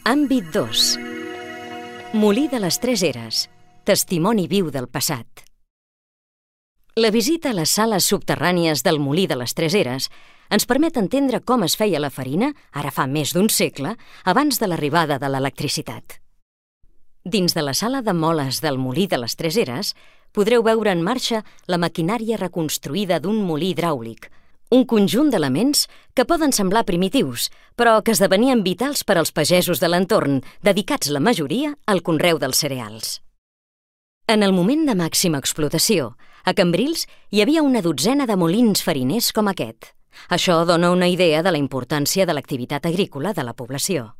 Àmbit 2. Molí de les Tres Eres. Testimoni viu del passat. La visita a les sales subterrànies del Molí de les Tres Eres ens permet entendre com es feia la farina, ara fa més d'un segle, abans de l'arribada de l'electricitat. Dins de la sala de moles del Molí de les Tres Eres podreu veure en marxa la maquinària reconstruïda d'un molí hidràulic, un conjunt d'elements que poden semblar primitius, però que esdevenien vitals per als pagesos de l'entorn, dedicats la majoria al conreu dels cereals. En el moment de màxima explotació, a Cambrils hi havia una dotzena de molins fariners com aquest. Això dona una idea de la importància de l'activitat agrícola de la població.